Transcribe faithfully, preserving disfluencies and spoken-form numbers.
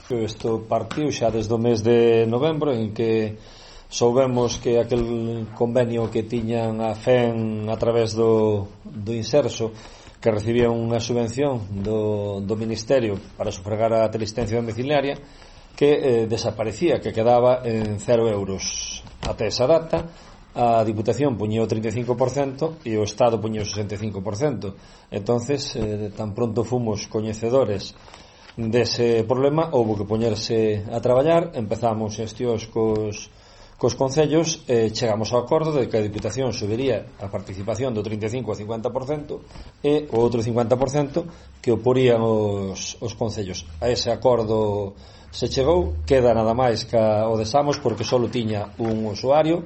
Isto partiu xa desde o mes de novembro, en que soubemos que aquel convenio que tiñan a F E N a través do, do Inserso, que recibía unha subvención do, do Ministerio para sufragar a teleasistencia domiciliaria, que eh, desaparecía, que quedaba en cero euros. Até esa data a Diputación puñía o trinta e cinco por cento e o Estado puñía o sesenta e cinco por cento. Entonces, eh, tan pronto fomos coñecedores dese problema, houve que poñerse a traballar. Empezamos xestións cos, cos concellos e chegamos ao acordo de que a Diputación subiría a participación do trinta e cinco ao cincuenta por cento e o outro cincuenta por cento que o porían os, os concellos. A ese acordo se chegou, queda nada máis que o desamos porque só tiña un usuario,